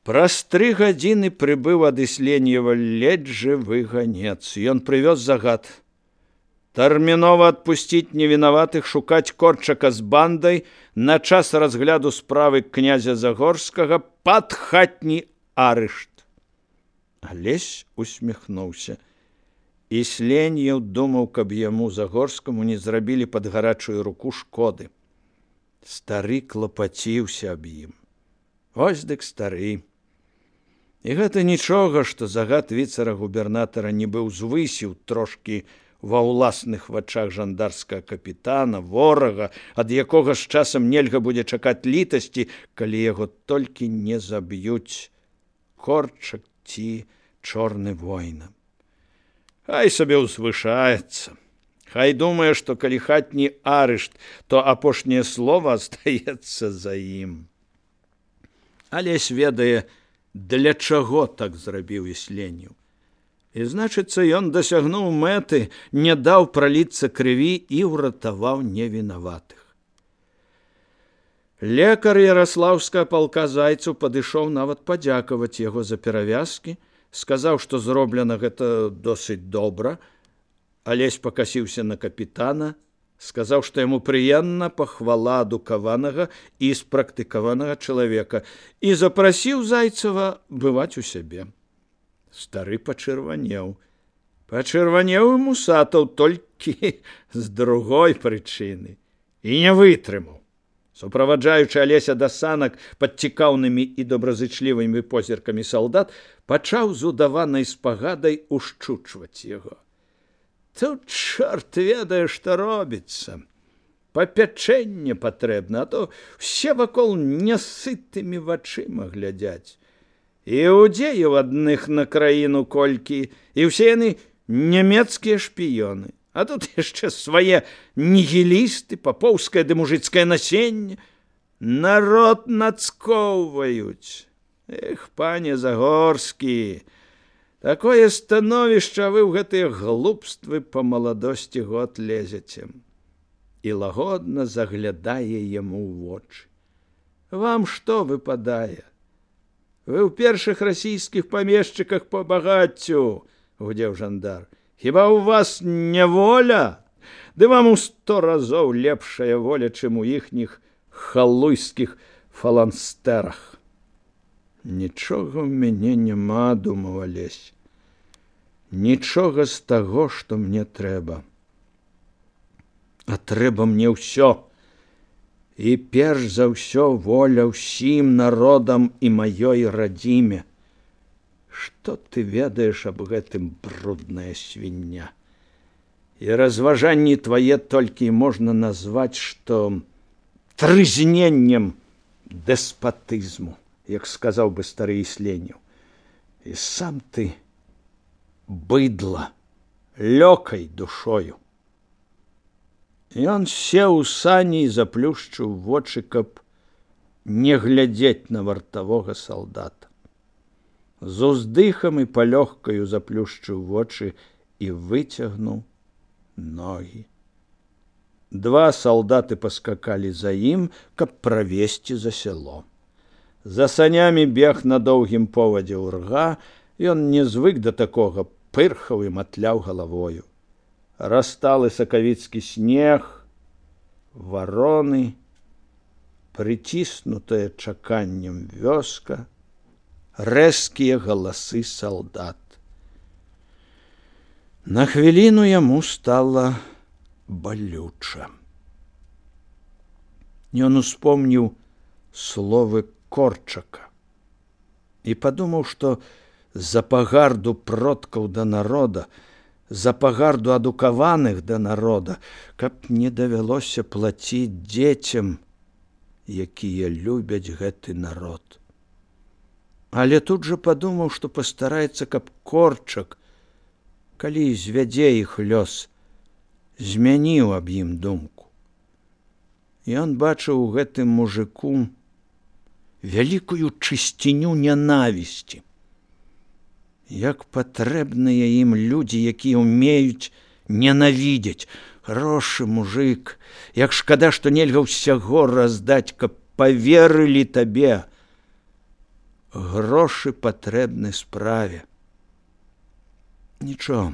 Праз 3 гадзіны прыбыў ад Ісленьева ледзь жывы ганец. Ён прывёз загад. Тэрмінова адпусціць невінаватых, шукаць Корчака з бандай на час разгляду справы князя Загорскага пад хатні арышт. Алесь усміхнуўся. Ісленьеў думаў, каб яму Загорскаму не зрабілі пад гарачую руку шкоды. Стары клапаціўся аб ім. Вось дык стары. І гэта нічога, што загад віцэра-губернатара нібы ўзвысіў трошкі ва ўласных вачах жандарскага капітана, ворага, ад якога з часам нельга будзе чакаць літасці, калі яго толькі не заб'юць Корчак ці чорны война. Хай сабе ўзвышаецца. Хай думае, што калі хатні арышт, то апошняе слова астаецца за ім. Алесь ведае, для чаго так зрабіў Ісленьеў. І, значыцца, ён дасягнуў мэты, не даў праліцца крыві і ўратаваў невінаватых. Лекар Яраслаўскага палка Зайцаў падышоў нават падзякаваць яго за перавязкі, сказаў, што зроблена гэта досыць добра. Алесь пакасіўся на капітана, сказаў, што яму прыемна пахвала адукаванага і спрактыкаванага чалавека і запрасіў Зайцева бываць у сябе. Стары пачырванеў. Пачырванеў і Мусатаў толькі з другой прычыны. І не вытрымаў. Суправаджаючы Алеся да санак пад цікаўнымі і добразычлівымі позіркамі салдат, пачаў з удаванай спагадай ушчучваць яго. Тут чорт ведае, што робіцца. Папячэнне патрэбна, а то все вакол нясытымі вачыма глядзяць. Іудзеяў адных на краіну колькі, і ўсе яны нямецкія шпіёны. А тут яшчэ свае нігілісты, папоўскае ды мужыцкае насенне. Народ нацкоўваюць. Эх, пане Загорскі, такое становішча вы ў гэтыя глупствы па маладосці год лезеце. І лагодна заглядае яму ў вочы. Вам што выпадае? Вы ў першых расійскіх памешчыках па багаццю, гудзеў жандар. Хіба ў вас не воля? Ды вам у 100 разоў лепшая воля, чым у іхніх халуйскіх фаланстэрах. Нічога ў мяне няма, думаў Алесь. Нічога з таго, што мне трэба. А трэба мне ўсё. І перш за ўсё воля ўсім народам і маёй радзіме. Што ты ведаеш аб гэтым, брудная свіння? І разважанні твае толькі можна назваць, што трызненнем дэспатызму, як сказаў бы стары Ісленьеў. І сам ты быдла, лёкай душою. Ён сеў у сані і заплюшчыў вочы, каб не глядзець на вартавога салдата. З уздыхам і палёгкаю заплюшчыў вочы і выцягнуў ногі. 2 салдаты паскакалі за ім, каб правесці за сяло. За санямі бег на доўгім повадзе ўрга, ён не звык да такога, пырхаў і матляў галавою. Расталы сакавіцкі снег, вароны, прыціснутая чаканнем вёска, рэзкія галасы салдат. На хвіліну яму стала балюча. Ён успомніў словы Корчака і падумаў, што за пагарду продкаў да народа, за пагарду адукаваных да народа, каб не давялося плаціць дзецям, якія любяць гэты народ. Але тут жа падумаў, што пастараецца, каб Корчак, калі звядзе іх лёс, змяніў аб ім думку. Ён бачыў у гэтым мужыку вялікую чысціню нянавісці. Як патрэбныя ім людзі, якія ўмеюць ненавідзець. Хорошы мужык, як шкада, што нельга ўсяго раздаць, каб паверылі табе. грошы патрэбны справе. Нічого,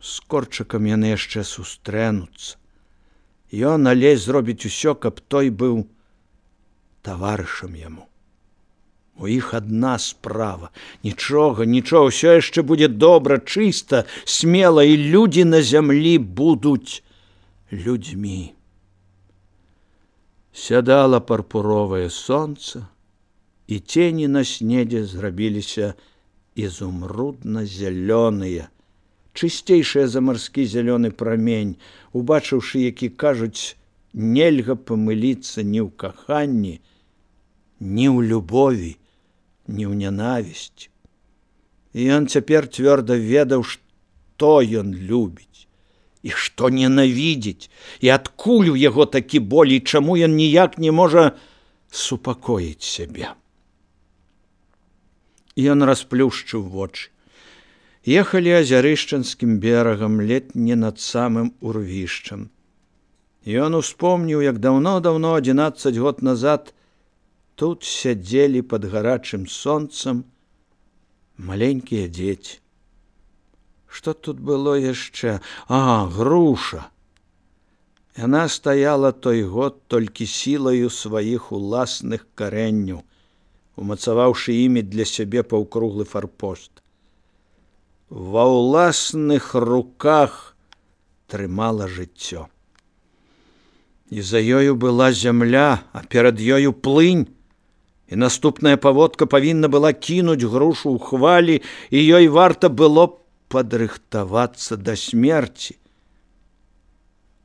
з Корчыкам яны яшчэ сустрэнуцца. Ён, Алесь, зробіць усё, каб той быў таварышам яму. У іх адна справа. Нічога, ўсё яшчэ будзе добра, чыста, смела, і людзі на зямлі будуць людзьмі. Сядала парпуровае сонца, і цені на снезе зрабіліся ізумрудна-зялёныя, чысцейшыя за марскі зялёны прамень, убачыўшы, які, кажуць, нельга памыліцца ні ў каханні, ні ў любові, ні ў нянавісці. І ён цяпер цвёрда ведаў, што ён любіць і што ненавідзіць, і адкуль у яго такі боль, і чаму ён ніяк не можа супакоіць сябе. Ён расплюшчыў вочы. Ехалі азярышчанскім берагам, ледзь не над самым урвішчам. Ён успомніў, як даўно-даўно, 11 год назад, тут сядзелі пад гарачым сонцам маленькія дзеці. Што тут было яшчэ? Груша. Яна стаяла той год толькі сілаю сваіх уласных карэнняў, умацаваўшы імі для сябе паўкруглы фарпост. Ва ўласных руках трымала жыццё. І за ёю была зямля, а перад ёю плынь, і наступная паводка павінна была кінуць грушу ў хвалі, і ёй варта было падрыхтавацца да смерці.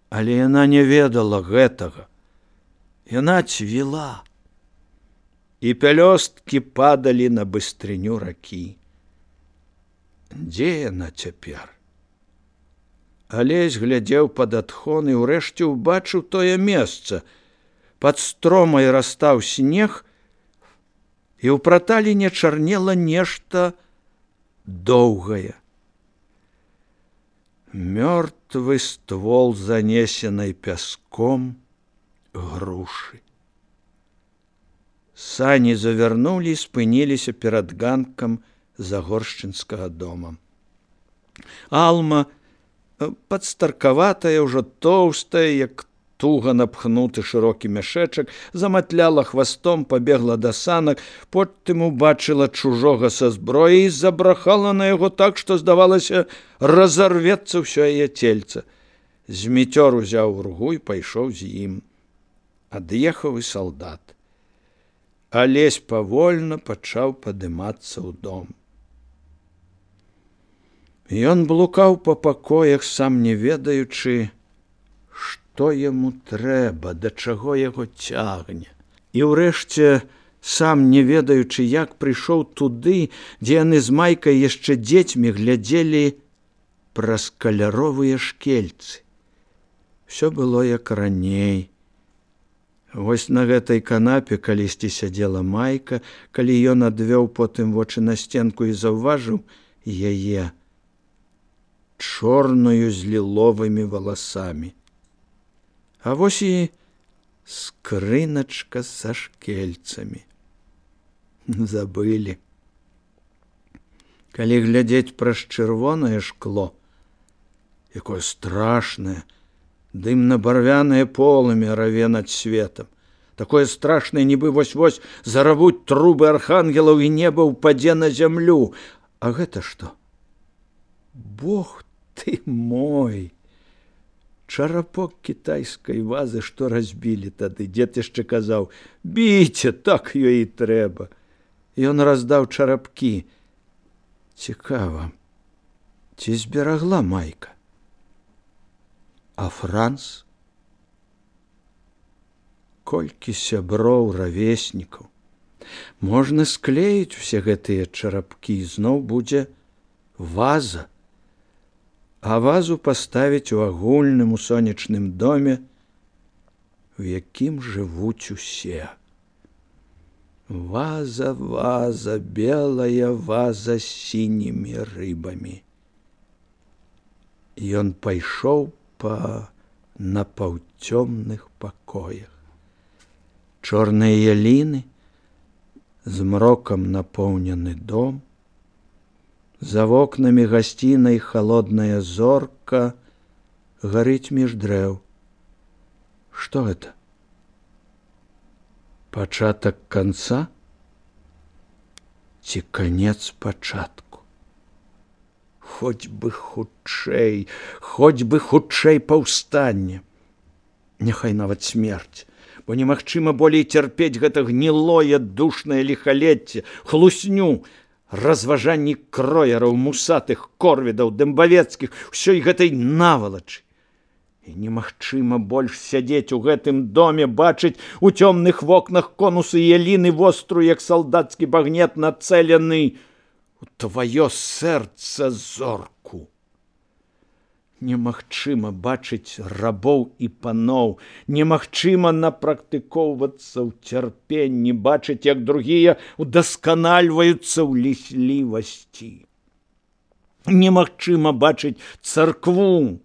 Але яна не ведала гэтага. Яна цвіла, і пялёсткі падалі на быстрыню ракі. Дзе яна цяпер? Алесь глядзеў пад адхон і ўрэшце ўбачыў тое месца. Пад стромай растаў снег, і ў праталіне чарнела нешта доўгае. Мёртвы ствол занесенай пяском грушы. Сані завярнулі і спыніліся перад ганкам загоршчынскага дома. Алма, падстаркаватая, ўжо тоўстая, як туга напхнуты шырокі мяшэчак, заматляла хвастом, пабегла да санак, потым убачыла чужога са зброяй і забрахала на яго так, што, здавалася, разарвецца ўсё яе цельца. Зміцёр узяў ургу і пайшоў з ім. Ад'ехаў і салдат. Алесь павольна пачаў падымацца ў дом. Ён блукаў па пакоях, сам не ведаючы, што яму трэба, да чаго яго цягне. І ўрэшце, сам не ведаючы, як прыйшоў туды, дзе яны з Майкай яшчэ дзецьмі глядзелі праз каляровыя шкельцы. Усё было як раней. Вось на гэтай канапе калісьці сядзела Майка, калі ён адвёў потым вочы на сценку і заўважыў яе чорную з ліловымі валасамі. А вось і скрыначка са шкельцамі. Забылі. Калі глядзець праз чырвонае шкло, якое страшнае, дымна-барвянае полымя раве над светам. Такое страшнае, нібы вось-вось заравуць трубы архангелаў і неба ўпадзе на зямлю. А гэта што? Бог ты мой! Чарапок кітайскай вазы, што разбілі тады. Дзед яшчэ казаў: «Біце, так ёй і трэба». Ён раздаў чарапкі. Цікава, ці зберагла Майка? А Франц? Колькі сяброў, равеснікаў. Можна склеіць усе гэтыя чарапкі, і зноў будзе ваза. А вазу паставіць у агульным, у сонечным доме, у якім жывуць усе. Ваза, ваза, белая ваза з сінімі рыбамі. Ён пайшоў па напаўцёмных пакоях. Чорныя яліны, Змрокам напоўнены дом, за вокнамі гасцінай халодная зорка гарыць між дрэў. Што гэта? Пачатак канца ці канец пачатку? Хоць бы хутчэй паўстанне. Няхай нават смерць, бо немагчыма болей цярпець гэта гнілое душнае ліхалецце, хлусню, разважанні кроераў, мусатых, корвідаў, дэмбавецкіх, усёй гэтай навалачы. І немагчыма больш сядзець у гэтым доме, бачыць у цёмных вокнах конусы яліны вострую, як салдацкі багнет, нацэлены у тваё сэрца зорку. Немагчыма бачыць рабоў і паноў, немагчыма напрактыкоўвацца ў цярпенні, бачыць, як другія удасканальваюцца ў ліслівасці. Немагчыма бачыць царкву,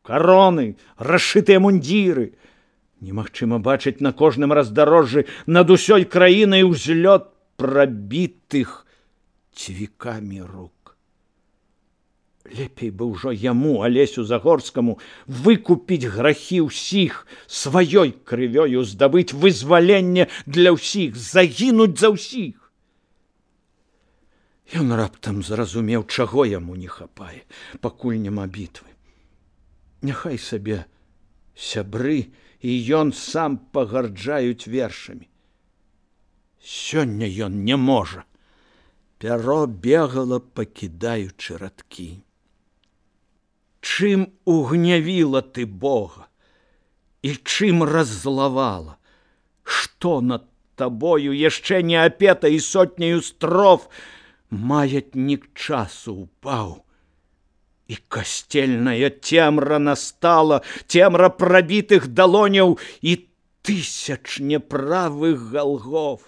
кароны, расшытыя мундзіры. Немагчыма бачыць на кожным раздарожжы над усёй краінай узлёт прабітых цвікамі рук. Лепей бы ўжо яму, Алесю Загорскаму, выкупіць грахі ўсіх, сваёй крывёю здабыць вызваленне для ўсіх, загінуць за ўсіх. Ён раптам зразумеў, чаго яму не хапае, пакуль няма бітвы. Няхай сабе сябры і ён сам пагарджаюць вершамі. Сёння ён не можа. Пяро бегала, пакідаючы радкі. Чым угнявіла ты Бога і чым раззлавала? Што над табою яшчэ не апета і сотняю строф маятнік часу упаў? І касцельная цемра настала, цемра прабітых далоняў і тысяч неправых галгоў.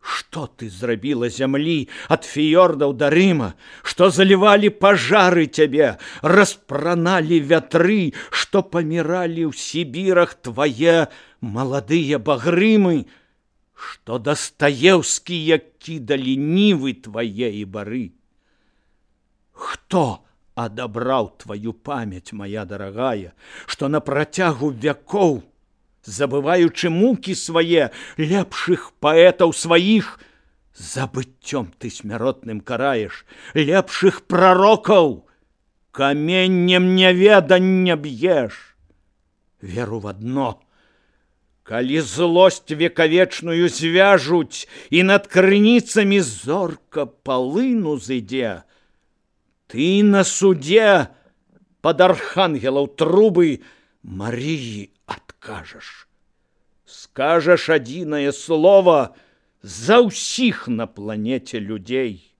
Што ты зрабіла зямлі ад фіёрдаў да Рыма, што залівалі пажары цябе, распраналі вятры, што паміралі ў Сібірах твае маладыя багрымы, што дастаеўскія кідалі нівы твае і бары. Хто адабраў тваю памяць, мая дарагая, што на працягу вякоў, забываючы мукі свае, лепшых паэтаў сваіх забыццём ты смяротным караеш, лепшых прарокаў каменнем няведання б'еш. Веру в адно: калі злосць векавечную звяжуць і над крыніцамі зорка палыну зыдзе, ты на судзе пад архангелаў трубы Марыі адкажаш. Скажаш адзінае слова за ўсіх на планеце людзей.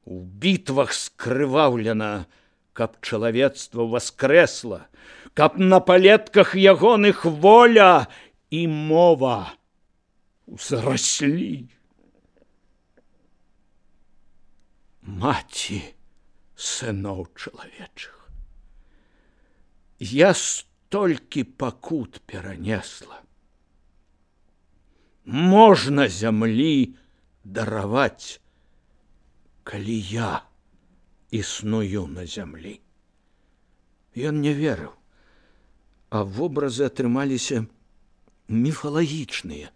У бітвах скрываўлена, каб чалавецтва воскрэсла, каб на палетках ягоных воля і мова узраслі. Маці сыноў чалавечых, я столькі пакут перанесла. Можна зямлі дараваць, калі я існую на зямлі. Ён не верыў, а вобразы атрымаліся міфалагічныя.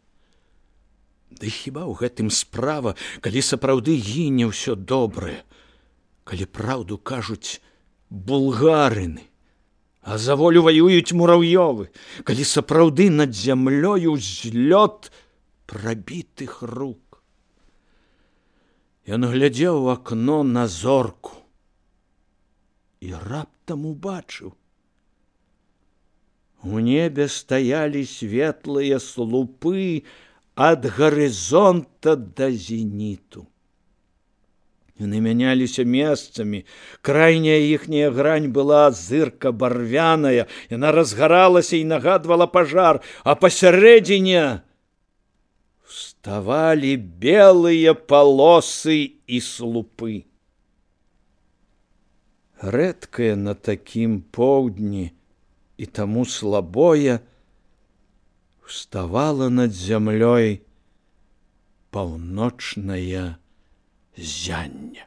Ды хіба ў гэтым справа, калі сапраўды гіне ўсё добрае, калі праўду кажуць булгарыны, а за волю ваююць мураўёвы, калі сапраўды над зямлёю злёт прабітых рук. Ён глядзеў у акно на зорку і раптам убачыў. У небе стаялі светлыя слупы ад гарызонта да зеніту. Яны мяняліся месцамі, крайняя іхняя грань была зырка барвяная, яна разгаралася і нагадвала пажар, а пасярэдзіне вставалі белыя палосы і слупы. Рэдкае на такім поўдні і таму слабое вставала над зямлёй паўночнае зянне.